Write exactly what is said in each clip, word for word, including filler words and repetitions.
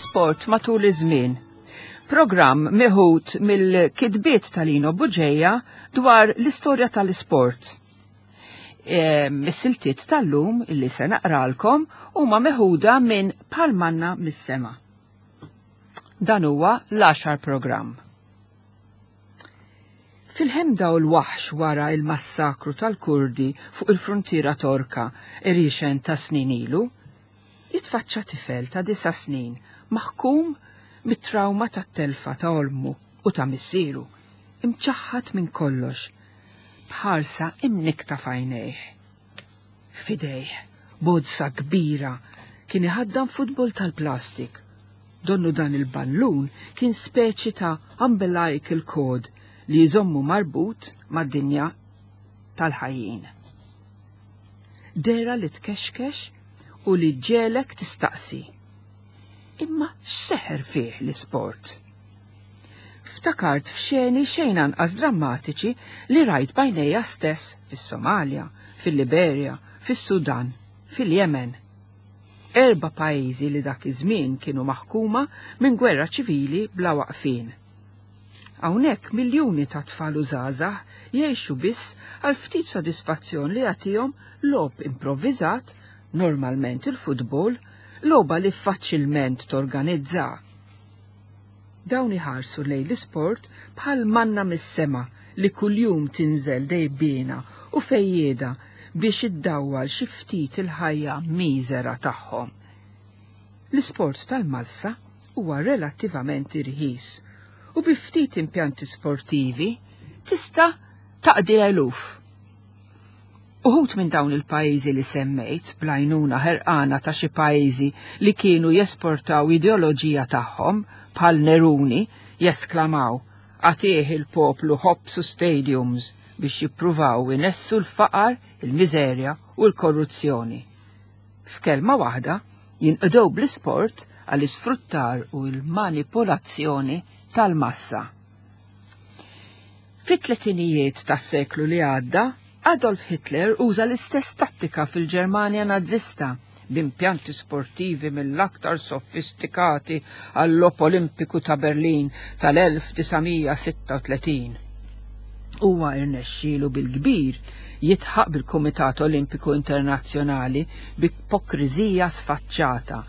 L-isport matul iż-żmien. Programm meħud mill-kitbiet tal-Lino Buġeja dwar l-istorja tal-isport. Is-siltiet tal-lum illi se naqralkom huma meħuda minn Palmanna mis-sema. Dan huwa l-għaxar programm. Fil-ħemda u l-waħx wara il-massakru tal-Kurdi fuq il-frontiera Torka irixen ta' snin ilu, jitfaċċa tifel ta' disa' snin maħkum mit-trauma tat-telfa ta' olmu u ta' missieru, imċaħħad minn kollox, bħarsa imnikta f'għajnejh. Fidejh, bozza kbira, kien iħaddan futbol tal-plastik. Donnu dan il-ballun kien speċi ta' umbilical cord li jżommu marbut mad-dinja tal-ħajjin. Dera li tkexkex u li ġelek tistaqsi. Imma x'seħer fih l-isport? Ftakart f'xeni xejn anqas drammatiċi li rajt bajnejja stess fis-Somalja, fil-Liberja, fis-Sudan, fil-Yemen. Erba' pajjiżi li dak iż-żmien kienu maħkuma minn gwerra ċivili bla waqfin. Hawnhekk miljuni ta' tfal u żgħażagħ jgħixu biss għal ftit sodisfazzjon li jagħtihom logħob improvviżat, normalment il-futbol, logħba li faċilment torganizza. Dawn iħarsu lejn l-isport bħal manna mis-sema li kuljum tinżel dejbiena u fejjieda biex iddawwal xi ftit il-ħajja miżera tagħhom. L-isport tal-massa huwa relattivament irħis u bi ftit impjanti sportivi tista' taqdi eluf. Uħut minn dawn il-pajjiżi li semmejt bl-għajnuna ħerqana ta' xi pajjiżi li kienu jesportaw ideoloġija tagħhom bħal Neruni jesklamaw għatih il-poplu ħobsu stadiums biex jippruvaw inessu l-faqar, il-miżerja u l-korruzzjoni. F'kelma waħda jinqdew bl-isport għall-isfruttar u l-manipolazzjoni tal-massa. Fit-tletinijiet tas-seklu li għadda, Adolf Hitler uża l-istess tattika fil-Ġermanja Nazista b'impjanti sportivi mill-aktar sofistikati għall-Logħob Olimpiku ta' Berlin tal-elf disa' sitta u tletin. Huwa irnexxielu bil-kbir jitħaq bil-Kumitat Olimpiku Internazzjonali b'ipokriżija sfaċċata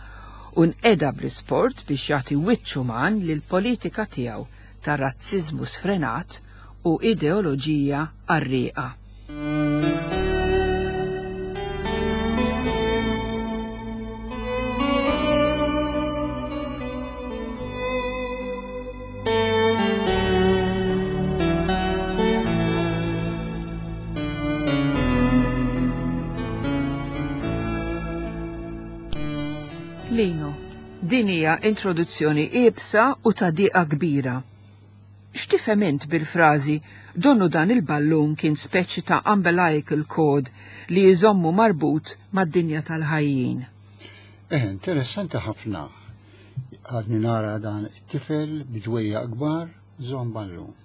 u nqeda bl-isport biex jagħti wiċċ uman lill-politika tiegħu ta' razziżmu sfrenat u ideoloġija qarrieqa. Lino, din hija introduzzjoni iebsa u ta' diqa kbira. X'tifhem int bil-frażi donnu dan il-ballun kien speċi ta' umbilical cord li jżommu marbut mad-dinja tal-ħajjin? Eh, interessanti ħafna. Għadni nara dan it-tifel bidwejja kbar żomm ballun.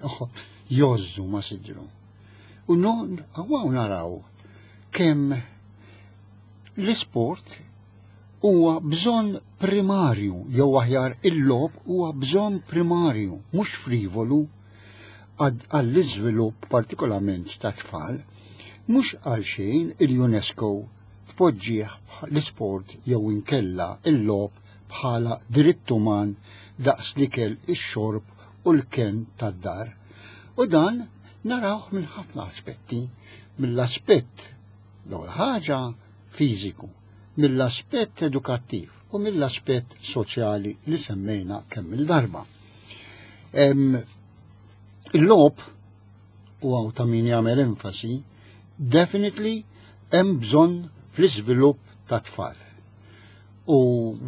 Oħ, jozzu ma sidru. U non, għaw naraw kemm l-isport huwa bżonn primarju, jew aħjar il-logħob huwa bżonn primarju, mhux frivolu għall-iżvilupp partikolarment ta' tfal, mhux għal xejn il-UNESCO tpoġġih l-isport jew inkella il-logħob bħala dritt uman daqs l-ikel, ix-xorb u l-kenn tad-dar. U dan narawh minn ħafna aspetti, mill-aspett l-ewwel ħaġa fiżiku, mill-aspett edukattiv u mill-aspett soċjali li semmejna kemm il-darba. Il-logħob, u għaw ta' min jagħmel enfasi, definitely hemm bżonn fl-iżvilupp ta' tfal. U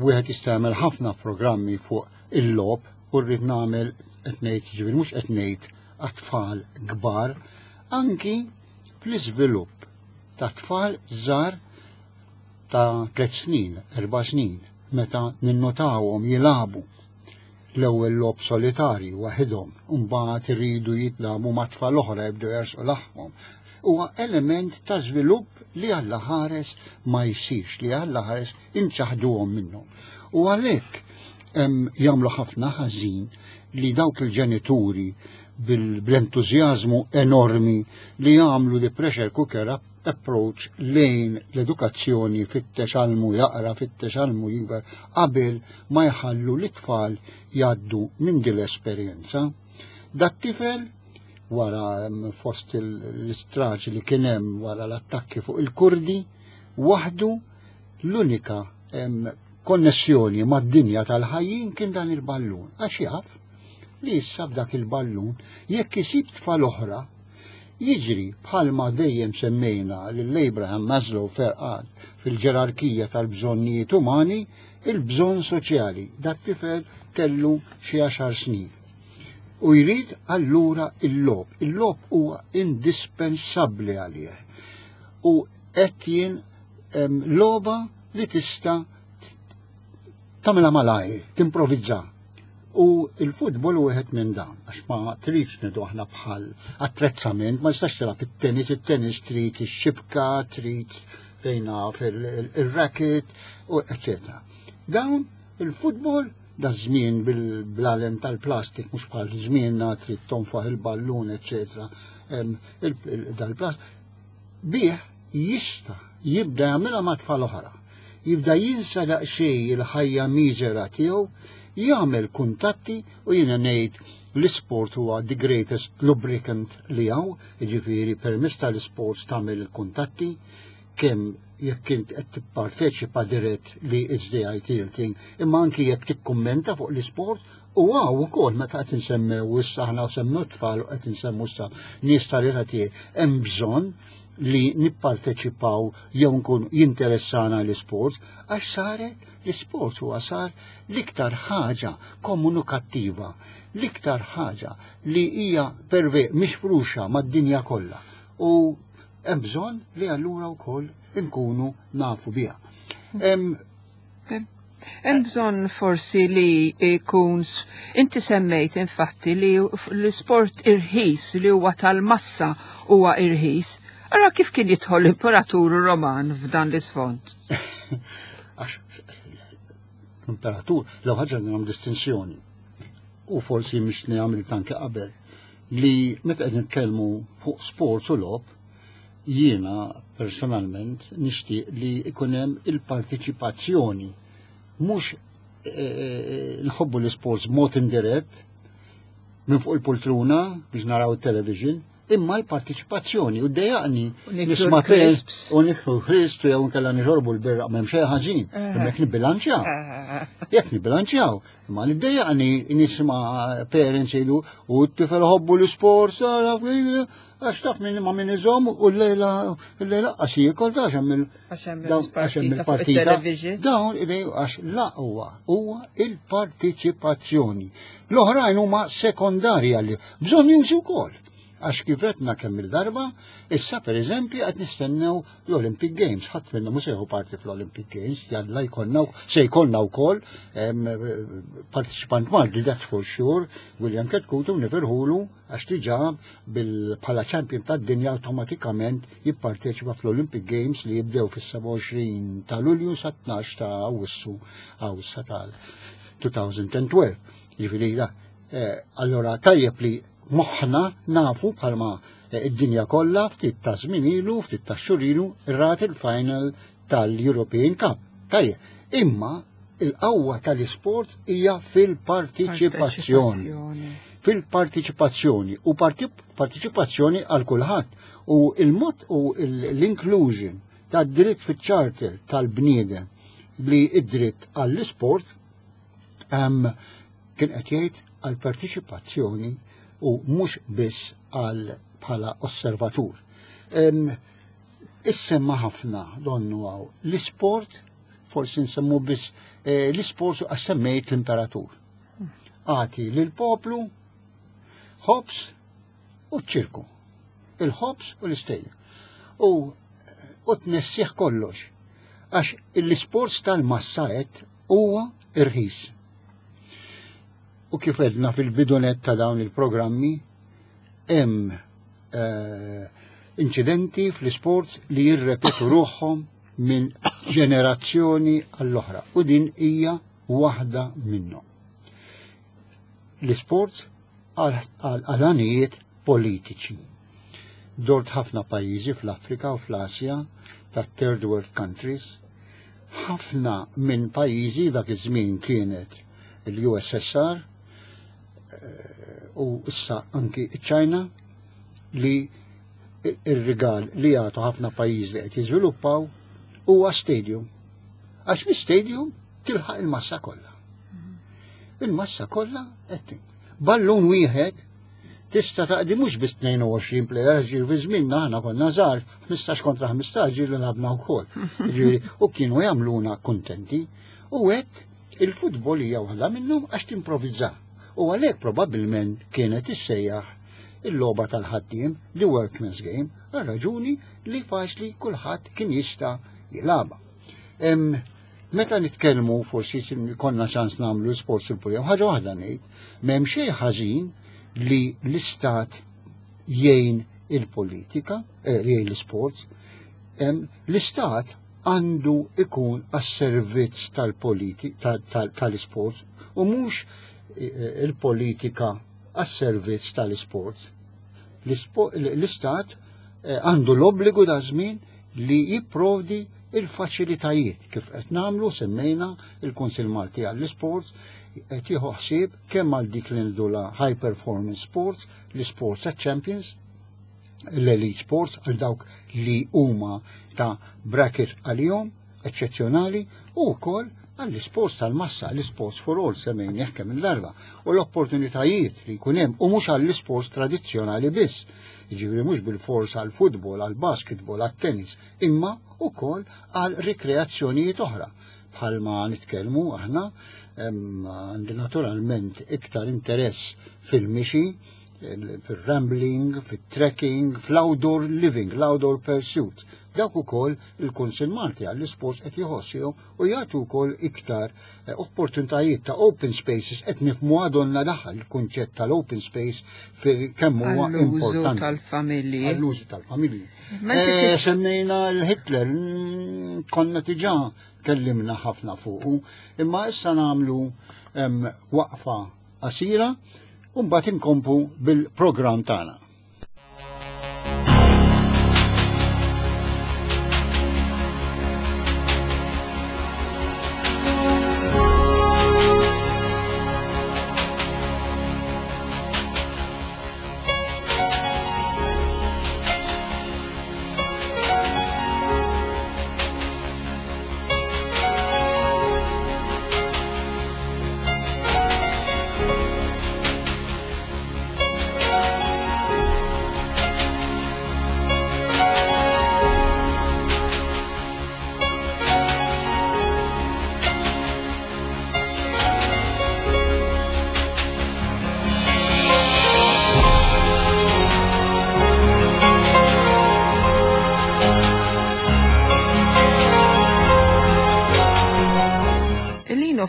wieħed jista' jagħmel ħafna programmi fuq il-logħob u rrid nagħmel qed ngħid, ġifieri mhux qed ngħid għat-tfal kbar, anki fl-iżvilupp ta' tfal żgħar ta' tliet snin, erba' snin, meta ninnotawhom jilagħbu l-ewwel logħob solitarju waħedhom, u mbagħad iridu jitlagħbu ma' tfal oħra jibdew jersqu laħmhom. Huwa element ta' żvilupp li Alla ħares ma jsirx, li Alla ħares inċaħduhom minnhom. U għalhekk jagħmlu ħafna ħażin li dawk il-ġenituri bil-entużjażmu enormi li jagħmlu the pressure cooker approach lejn l-edukazzjoni, fittex għallmu jaqra, fittex għallmu jikber, qabel ma jħallu l-tfal jgħaddu minn din l-esperjenza. Dat-tifel wara fost l-istraġi li kien hemm wara l-attakki fuq il-Kurdi, waħdu l-unika konnessjoni mad-dinja tal-ħajjin kien dan il-ballun. Għax jaf li issa b'dak il-ballun jekk isib tfal oħra jiġri bħalma dejjem semmejna lil Abraham Maslow ferqal fil-ġerarkija tal-bżonnijiet umani, il-bżonn soċjali. Dak tifel kellu xi għaxar snin. U jrid allura il-logħob. Il-logħob huwa indispensabbli għalih. U qed jien logħba li tista' tagħmilha malajr, timprovizza. U il-futbol u wieħed minn dan, għax ma tridx nidu aħna bħal attrezzament, ma tistax tilgħab it-tennis, it-tennis trid ix-xibka, trid fejna fil-racket, u eccetera. Dawn il-futbol da żmien bil-blalen tal-plastik, mhux bħal żmienna trid tonfaħ il-ballun, eccetera. Dal-plastik bih jista' jibda jagħmilha ma' tfal oħra. Jibda jinsa daqsxejn il-ħajja miżera tiegħu, jagħmel kuntatti u jiena ngħid l-isport huwa the greatest lubricant li hawn, jiġifieri permezz tal-isport tagħmel il-kuntatti, kemm jekk int qed tipparteċipa dirett li it's the ideal thing, imma anki jekk tikkummenta fuq l-isport. U hawn ukoll meta qed insemmew issa aħna semmew tfal u qed insemmu issa nies tal-età tiegħi, hemm bżonn li nipparteċipaw jew nkun jinteressana l-isport, għax saret l-isport huwa sar l-iktar ħaġa komunikattiva, l-iktar ħaġa li hija perve mifruxa mad-dinja kollha. U hemm bżonn li allura wkoll inkunu nafu biha. Hemm bżonn forsi li jkun, inti semmejt infatti li l-isport irħis li huwa tal-massa huwa irħis. Ara kif kien jidħol l-Imperatur Roman f'dan l-isfond. Għax l-imperatur, l ħaġa nagħmel distinzjoni, u forsi mhix nagħmel tanke qabel, li meta qed nitkellmu fuq sports u logħob, jiena personalment nixtieq li ikun hemm il-partiċipazzjoni, mhux nħobbu l-sports mod indirett minn fuq il-poltruna biex naraw il-television, imma l-partiċipazzjoni u dejjaqni nisma' u niklu crisps jew nkella nixorbu l-birra, m'hemm xejn ħażin, imma jekk nibbilanċjaw. Jekk nibbilanċjaw, imma niddejjaqni nisma' parents jgħidu u t-tifel ħobbu l-isport, għax taf minn ma minn iżomm u l-lejla l-lejla qas jiekol ta' hemm il-partita. Dawn idej għax la huwa huwa il-partiċipazzjoni. L-oħrajn huma sekondarji għalli bżonn jużu wkoll. Għax kif għedna kemm il-darba, issa per eżempju qed nistennew l-Olympic Games, ħadd minna mhux se jieħu parti fl-Olympic Games, jalla jkollna se jkollna wkoll partiċipant Malti, that's for sure, William Chetcuti, nifirħulu għax diġà bħala champion tad-dinja awtomatikament jipparteċipa fl-Olympic Games li jibdew fis-sebgħa u għoxrin ta' Lulju sa tnax ta' Awwissu Awwissa tal-elfejn u tnax. Jiġifieri da, allora tajjeb li moħħna nafu bħalma id-dinja kollha ftit ta' żmien ilu, ftit ta' xhur ilu, rat il-final tal-European Cup. Tajjeb, imma il-qawwa tal-isport hija fil-partiċipazzjoni. Fil-partiċipazzjoni u partiċipazzjoni għal kulħadd. U il-mod u l-inclusion tad-dritt fiċ-charter tal-bniedem li id-dritt għall-isport kien qed jgħid għall-partiċipazzjoni u mhux biss għal bħala osservatur. Issemma ħafna donnu għaw l-isport, forsi nsemmu biss l-isport għax semmejt l-imperatur. Għati lill-poplu ħobs u ċirku. Il-ħobs u l-istejjer. U u tnessih kollox. Għax l-isport tal-massa qed huwa irħis. U kif edna fil-bidunet ta' dawn il-programmi, hemm inċidenti fl-isport li jirrepetu ruħhom minn ġenerazzjoni għall-oħra. U din hija waħda minnhom. L-isports għal għanijiet politiċi. Dort ħafna pajjiżi fl-Afrika u fl-Asja ta' third world countries, ħafna minn pajjiżi dak iż-żmien kienet il-U S S R u issa anki ċ-Ċina, li ir-rigal li jagħtu ħafna pajjiżi li qed jiżviluppaw huwa stadium. Għax bi stadium tilħaq il-massa kollha. Il-massa kollha qed ballun wieħed tista' taqdi mhux biss tnejn u għoxrin player, ġifieri fi żmienna aħna konna żgħar, ħmistax kontra ħmistax ġieli lagħabna wkoll. Ġifieri u kienu jagħmluna kuntenti u hekk il-futbol hija waħda minnhom għax timprovizza. U għalhekk probabbilment kienet issejjaħ il-logħba tal-ħaddiem, the workman's game, għal raġuni li faċli kulħadd kien jista' jilagħba. Meta nitkellmu, forsi konna ċans nagħmlu sports il-pulja, ħaġa waħda ngħid, m'hemm xejn ħażin li l-istat jgħin il-politika, eh, jgħin l-sports, l-istat għandu ikun għas-servizz tal-politika tal-sports u mhux eh, il-politika għas-servizz tal-sports. L-istat eh, għandu l-obbligu da żmien li jipprovdi il-faċilitajiet kif qed nagħmlu. Semmejna il-Kunsill Malti għall-Isports qed jieħu ħsieb kemm għal dik li ngħidulha high performance sports, l-sports ta' champions, l-elite sports għal dawk li huma ta' bracket għalihom eċċezzjonali u wkoll għall-sports tal-massa, l-sports for all semmejna kemm il-darba u l-opportunitajiet li jkun hemm u mhux għall-sports tradizzjonali biss. Jiġifieri mhux bil-fors għall-futbol, għall-basketball, għall-tennis, imma wkoll għal rikreazzjonijiet oħra. Bħalma nitkellmu aħna għandi naturalment iktar interess fil-mixi, fil-rambling, fil-trekking, fl-outdoor living, l-outdoor pursuit. Dawk ukoll il-Kunsill Malti għall-isports qed jħossihom u jagħtu wkoll iktar eh, opportunitajiet ta' open spaces. Qed nifhmu għadonna daħal il-kunċett tal-open space fil kemm huwa importanti. Tal-familji. Għall-użu tal-familji. Eh, semmejna l-Hitler, mm, konna diġà kellimna ħafna fuqu, imma issa nagħmlu waqfa qasira u mbagħad inkomplu bil-programm tagħna.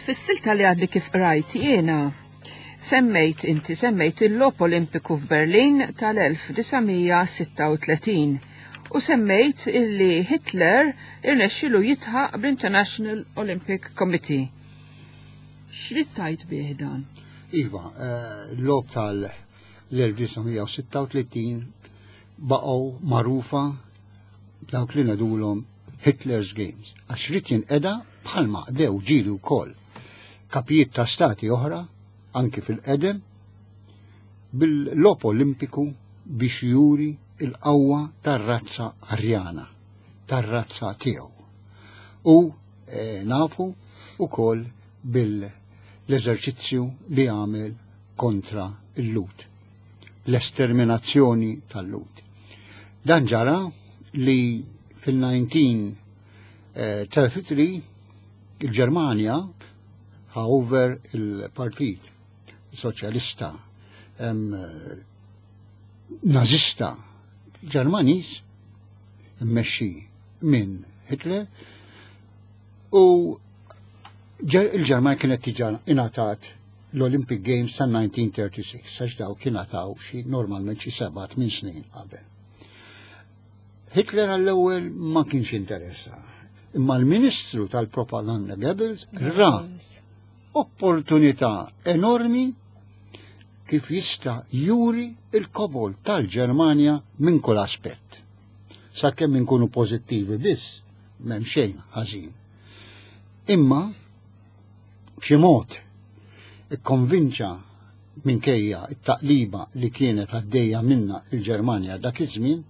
Fis-silta li għadli kif rajt jiena, semmejt inti semmejt il-Logħob Olimpiku f'Berlin tal-elf disa' mija sitta u tletin u semmejt illi Hitler irnexxilu jidħaq bl-International Olympic Committee. X'rid tgħid bih dan? Iva, eh, l-logħob tal-elf disa' mija sitta u tletin baqgħu magħrufa dawk li ngħidulhom Hitler's Games. Għax ried jinqeda bħalma qdew ġieli wkoll kapijiet ta' stati oħra, anki fil-qedem, bil-logħob Olimpiku biex juri il-qawwa tar-razza Arjana, tar-razza tiegħu. U e, nafu ukoll bil-eżerċizzju li għamel kontra il-Lhud, l-esterminazzjoni tal-Lhud. Dan ġara li fil-elf disa' mija tlieta u tletin il-Ġermanja, however, il-Partit Soċjalista Nazista Ġermaniż mmexxi minn Hitler, u il-Ġermanja kienet diġà ingħatat l-Olympic Games ta' elf disa' mija tlieta u tletin, għax daw kien ngħataw xi normalment xi seba' tmien snin qabel. Hitler għall-ewwel ma kienx interessa. Imma l-Ministru tal-Propaganda Goebbels ra Opportunità enormi kif jista' juri il-kobol tal-Ġermanja minn kull aspett. Sakemm inkunu pożittivi biss, m'hemm xejn ħażin. Imma b'xi mod ikkonvinċa, minkejja it-taqliba li kienet għaddejja minna il-Ġermanja dak iż-żmien,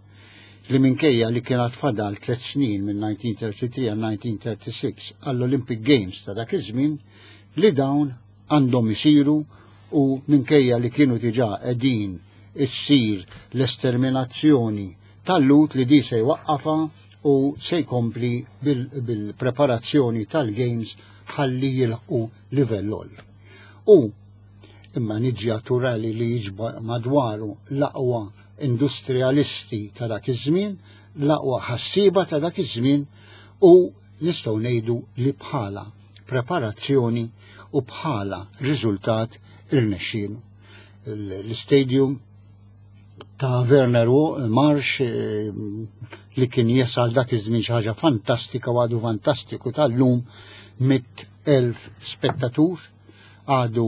li minkejja li kienet fadal tliet snin minn elf disa' mija u tlieta u tletin għal elf disa' mija u tlieta u tletin għall-Olympic Games ta' dak iż-żmien, li dawn għandhom isiru, u minkejja li kienu diġà qegħdin issir l-esterminazzjoni tal-Lhud, li di se jwaqqafa u se jkompli bil-preparazzjoni tal-Games ħalli jilħqu livell għoli. U imma niġi naturali li jiġba madwaru l-aqwa industrialisti ta' dak iż-żmien, l-aqwa ħassiba ta' dak iż-żmien, u nistgħu ngħidu li bħala preparazzjoni u bħala riżultat irnexxielu. L-stadium ta' Werner Marsch eh, li kien jesal dak iż-żmien xi ħaġa fantastika u għadu fantastiku tal-lum, mitt elf spettatur, għadu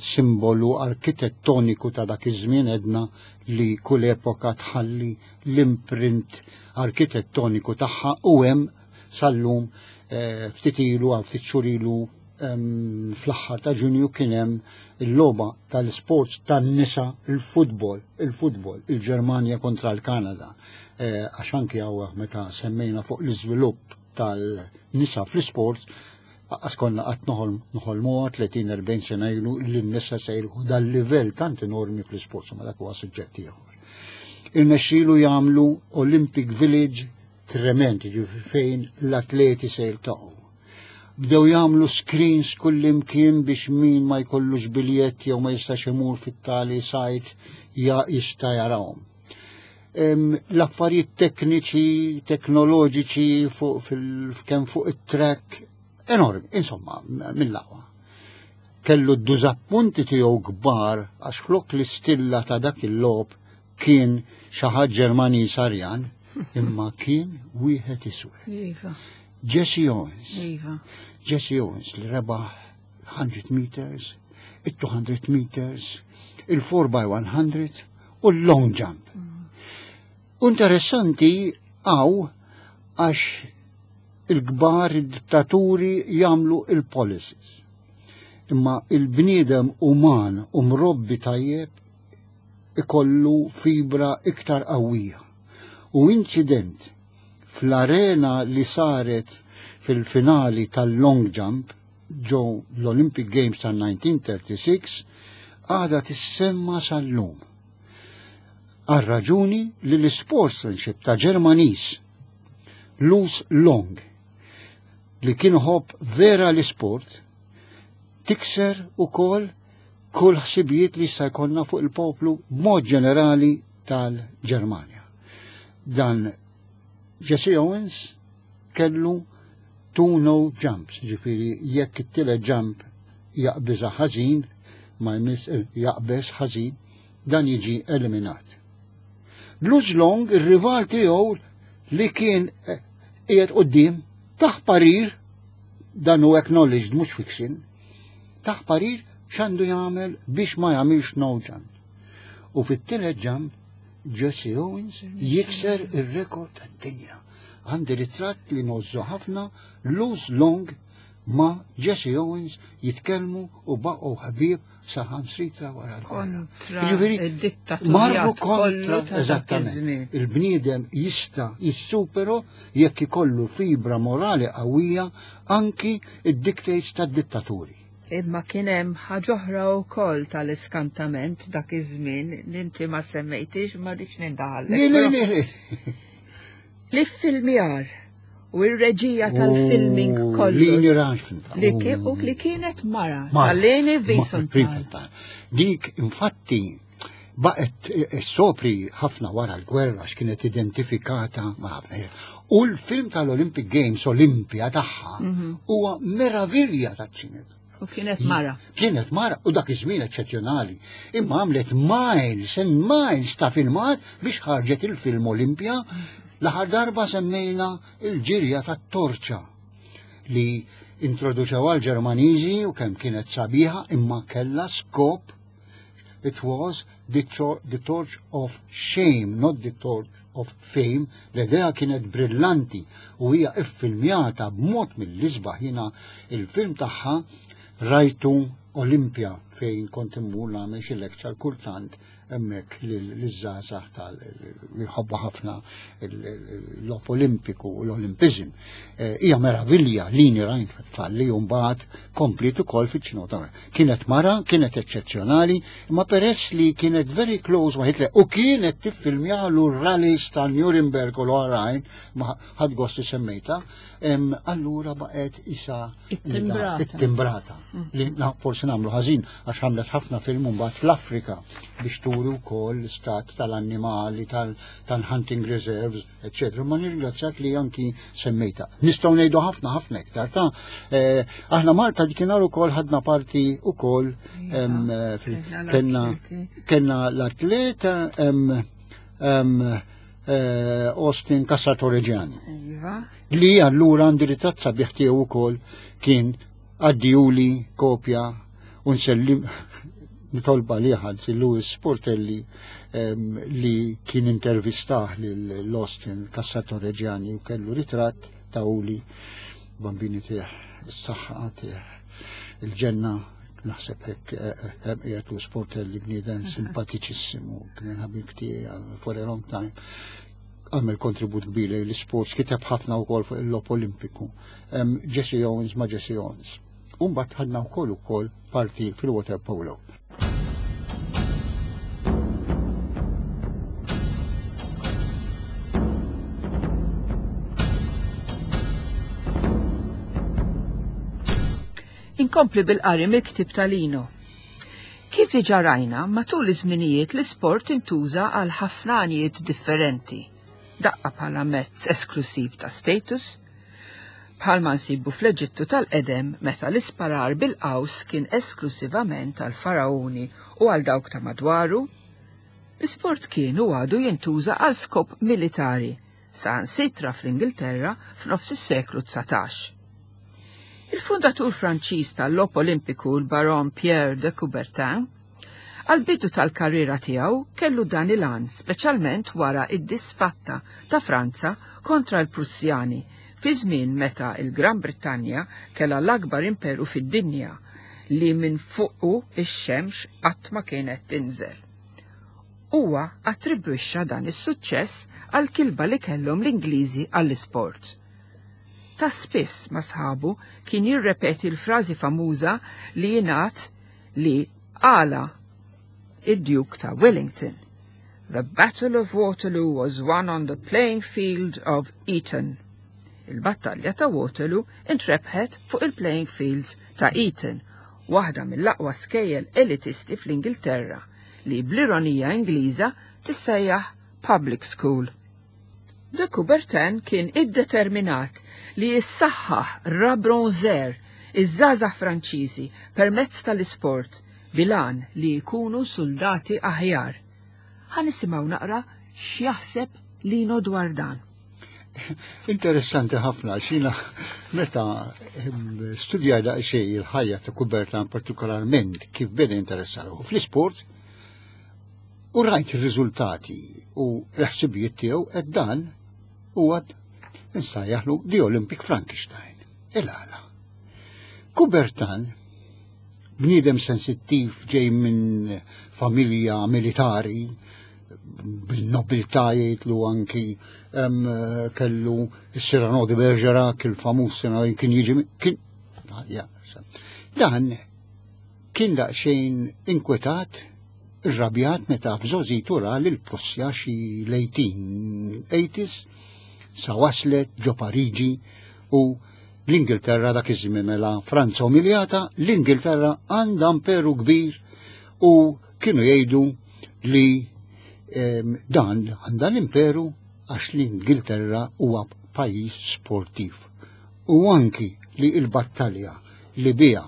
simbolu arkitettoniku ta' dak iż-żmien. Edna li kull epoka tħalli l-imprint arkitettoniku tagħha u hemm sal-lum. eh, ftit ilu għal ftit xhur ilu, fl-aħħar ta' Ġunju, kien hemm il-logħba tal-sports tan-nisa, il-futbol, il-futbol, il-Ġermanja kontra l-Kanada. Eh, għax anki hawn meta semmejna fuq l-iżvilupp tal-nisa fl-sports, għax konna qatt noħolmuha tletin erbgħin sena ilu li n-nisa se jilħqu dal-livell tant enormi fl-sports, ma dak huwa suġġett ieħor. Irnexxielu jagħmlu Olympic Village trement, fejn l-atleti se jiltaqgħu. Bdew jagħmlu screens kullimkien biex min ma jkollux biljett jew ma jistax imur fit-tali site ja jista' jarahom. L-affarijiet tekniċi, teknoloġiċi fuq kemm fuq it-track enormi, insomma, mill-aqwa. Kellu d-dużappunti tiegħu kbar għax flok l-istilla ta' dak il-logħob kien xi ħadd Ġermaniż Arjan, imma kien wieħed iswed. Iva. Jesse Owens. Iva. Jesse Owens li rebaħ mija meters, il-mitejn meters, il-erbgħa by mija u l-long jump. Interessanti għaw għax il-kbar id-dittaturi jagħmlu il-policies. Imma il-bniedem uman u mrobbi tajjeb ikollu fibra iktar qawwija. U incident fl-arena li saret fil-finali tal-long jump ġo l-Olympic Games tal-elf disa' mija u tlieta u tletin għada tissemma sal-lum. Għal raġuni li l-sportsmanship ta' Ġermaniż Luz Long, li kien iħobb vera l-sport, tikser ukoll kull ħsibijiet li sa jkollna fuq il-poplu mod ġenerali tal-Ġermanja. Dan Jesse Owens kellu two no jumps, ġifieri jekk it-tielet jump jaqbiża ħażin, ma jmiss eh, jaqbeż ħażin, dan jiġi eliminat. Luz Long, ir-rival tiegħu li kien eh, qiegħed quddiem, tah parir, dan hu acknowledged, mhux fiction, tah parir x'għandu jagħmel biex ma jagħmilx no jump. U fit-tielet jump Jesse Owens jikser ir-rekord tad-dinja. Għandi ritratt li ngħożżu ħafna, Luz Long ma' Jesse Owens jitkellmu u baqgħu ħabib saħansitra wara l-gwerra. Kontra Jiġifieri, id-dittatorjat marru kollu kontra, ta' dak eżattament. iż-żmien. Il-bniedem jista' jissupero jekk ikollu fibra morali qawwija anki id-dictates tad-dittaturi. Imma kien hemm ħaġa oħra wkoll tal-iskantament dak iż-żmien li inti ma semmejtix, ma rridx nindaħallek. Le, le, però le, le. L-iffilmjar u r-reġija tal-filming kollu. Leni Riefenstahl. Li ki- u li kienet mara. Mara. Tal-Leni Ma- Wiesenthal. Wiesenthal. Dik, infatti, baqet eh, sopri ħafna wara l-gwerra x'kienet identifikata ma' ħafna. U l-film tal-Olympic Games, Olympia tagħha, huwa meravilja taċ-ċinema. U kienet mara. Kienet mara u dak iż-żmien eċċezzjonali. Imma għamlet miles and miles ta' filmat biex ħarġet il-film Olympia. L-aħħar darba semmejna il-ġirja tat-torċa li Introduċew għal-Ġermaniżi u kemm kienet sabiħa, imma kellha skop. It was the, the torch of shame, not the torch of fame. L-idea kienet brillanti u hija iffilmjata b'mod mill-isbaħ. Jiena il-film tagħha rajtu Olimpia fejn kont immur nagħmel xi lecture kultant hemmhekk liż-żgħażagħ tal li jħobbu ħafna l-logħob Olimpiku u l-Olimpiżm. Hija meravilja Leni Riefenstahl li mbagħad komplit ukoll fiċ-ċinema. Kienet mara, kienet eċċezzjonali, imma peress li kienet very close ma' Hitler u kienet tiffilmjalu r-rallies ta' Nuremberg u l-oħrajn, ma ħadt gost li semmejta, allura baqgħet isa It-timbrata. it-timbrata. Li forsi nagħmlu ħażin għax għamlet ħafna film mbagħad fl-Afrika biex turi wkoll l-istat tal-annimali, tal-hunting reserves, eċċetera. Ma nirringrazzjak li anki semmejta. Nistgħu ngħidu ħafna ħafna iktar ta' aħna Malta dikinhar ukoll ħadna parti ukoll kellna kellna l-atleta Austin Cassar Torregiani. Li allura għandi ritratt sabiħ tiegħu wkoll kien għaddijuli kopja u nsellim nitolba li ħad Louis Sportelli li kien intervistah l-Austin Cassar Torregiani u kellu ritratt ta' uli bambini tiegħ, is-saħħa tiegħ, il-ġenna, naħseb hekk qiegħed Louis Sportelli, bniedem simpatiċissimu, kien ħabib tiegħi for a long time. Għamel kontribut kbir lejn l-sports, kiteb ħafna wkoll fuq il-logħob Olimpiku. Jesse Owens ma' Jesse Owens. U mbagħad ħadna wkoll ukoll parti fil-water polo. Inkompli bil-qari mill-ktieb ta' Lino. Kif diġà rajna, matul iż-żminijiet l-isport intuża għal ħafna għanijiet differenti. Daqqa bħala mezz esklusiv ta' status, bħalma nsibu fl-Eġittu tal-qedem meta l-isparar bil-qaws kien esklusivament għal faraoni u għal dawk ta' madwaru. L-isport kien u għadu jintuża għal skop militari, saħansitra fl-Ingilterra f'nofs is-seklu dsatax. Il-fundatur Franċiż tal-Logħob Olimpiku, l-Baron Pierre de Coubertin, għal-bidu tal-karriera tiegħu kellu dan il-għan, speċjalment wara id-disfatta ta' Franza kontra l-Prussjani, fi żmien meta il-Gran Brittanja kellha l-akbar imperu fid-dinja li minn fuqu ix-xemx qatt ma kienet tinżel. Huwa attribwixxa dan is-suċċess għal kilba li kellhom l-Ingliżi għall-isport. Ta' spiss ma' sħabu kien jirrepeti l-frażi famuża li jingħad li għala id-Duke ta' Wellington. The Battle of Waterloo was won on the playing field of Eton. Il-battalja ta' Waterloo intrebħet fuq il-playing fields ta' Eton, waħda mill-aqwa skejjel elitisti fl-Ingilterra li bl-ironija Ingliża tissejjaħ public school. De Coubertin kien iddeterminat li jissaħħaħ rabronzer iż-żgħażagħ Franċiżi permezz tal-isport bilan li jkunu soldati aħjar. Ħa nisimgħu naqra x'jaħseb Lino dwar dan. Interessanti ħafna, xina meta studjaj daqsxejn il-ħajja ta' Coubertin, partikolarment kif beda jinteressaru fl-isport, u rajt ir-riżultati u l-ħsibijiet tiegħu, qed dan huwa nsajjaħlu The Olympic Frankenstein. Il-għala. Coubertin, bniedem sensittiv ġej minn familja militari, bil-nobiltà jgħidlu anki kellu Cyrano de Bergerac, il-famuż Cyrano, kien jiġi kien, ja, dan kien daqsxejn inkwetat, irrabjat meta f'żożitu ra lil Prussja xi l-eighteen eighties sa waslet ġo Pariġi u l-Ingilterra dak iż-żmien mela Franza umiljata, l-Ingilterra għandha imperu kbir u kienu jgħidu li, em, dan għandha l-imperu għax l-Ingilterra huwa pajjiż sportiv. U anki li l-battalja li biha,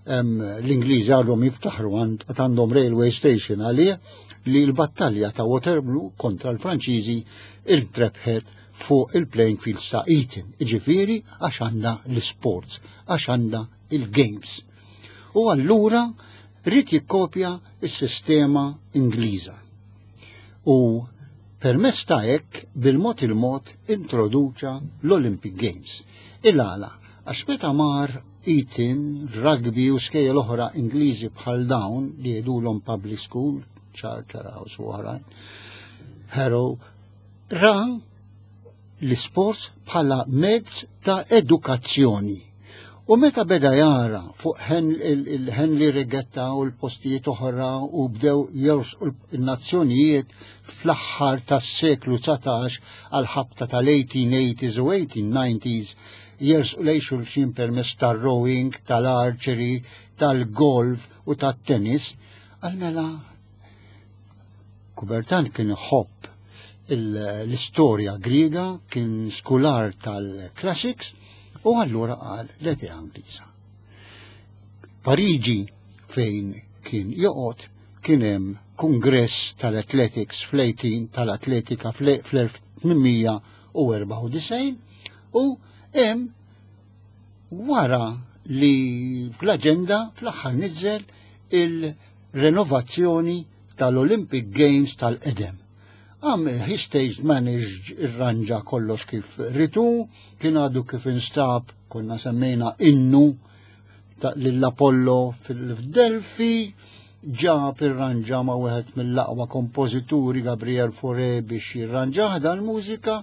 em, l-Ingliżi għadhom jiftaħru għand-, għandhom railway station għalih, li l-battalja ta' Waterloo kontra l-Franċiżi intrebħet fuq il-playing fields ta' Eton, iġifieri għax għandna l-sports, għax għandna il-games. U allura ried jikkopja s-sistema Ingliża. U permezz ta' hekk bil-mod il-mod introduċa l-Olympic Games. Il-għala, għax meta mar Eton, rugby u skejjel oħra Ingliżi bħal dawn li jgħidulhom public school, Charterhouse u oħrajn, Harrow, ra l-sports bħala mezz ta' edukazzjoni. U meta beda jara fuq il-Henley Regatta u l-postijiet oħra u bdew jersqu il-nazzjonijiet fl-aħħar tas-seklu dsatax għal-ħabta tal-eighteen eighties u eighteen nineties jersqu lejn xulxin permezz tal-rowing, tal-archery, tal-golf u tat-tennis, għal mela Coubertin kien iħobb l-istorja Griega, kien skular tal-classics, u allura qal l-idea Ingliża. Pariġi, fejn kien joqgħod, kien hemm kongress tal-athletics fl-eighteen tal-atletika fl-elf tmien mija u erbgħa u disgħin u hemm wara li fl-aġenda fl-aħħar niżel il-renovazzjoni tal-Olympic Games tal-qedem. Għam he stage managed, irranġa kollox kif ritu, kien għadu kif instab, konna semmejna innu l-Apollo fil-Delfi, ġab irranġa ma' wieħed mill-aqwa kompożituri, Gabriel Fauré, biex jirranġaħ dal-mużika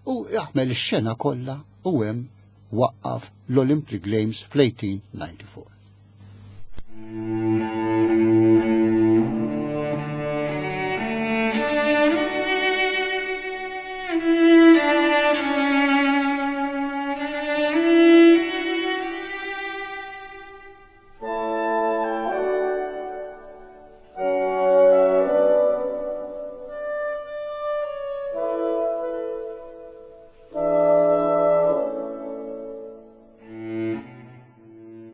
u jaħmel ix-xena kollha u hemm waqqaf l-Olympic Games fl-eighteen ninety-four.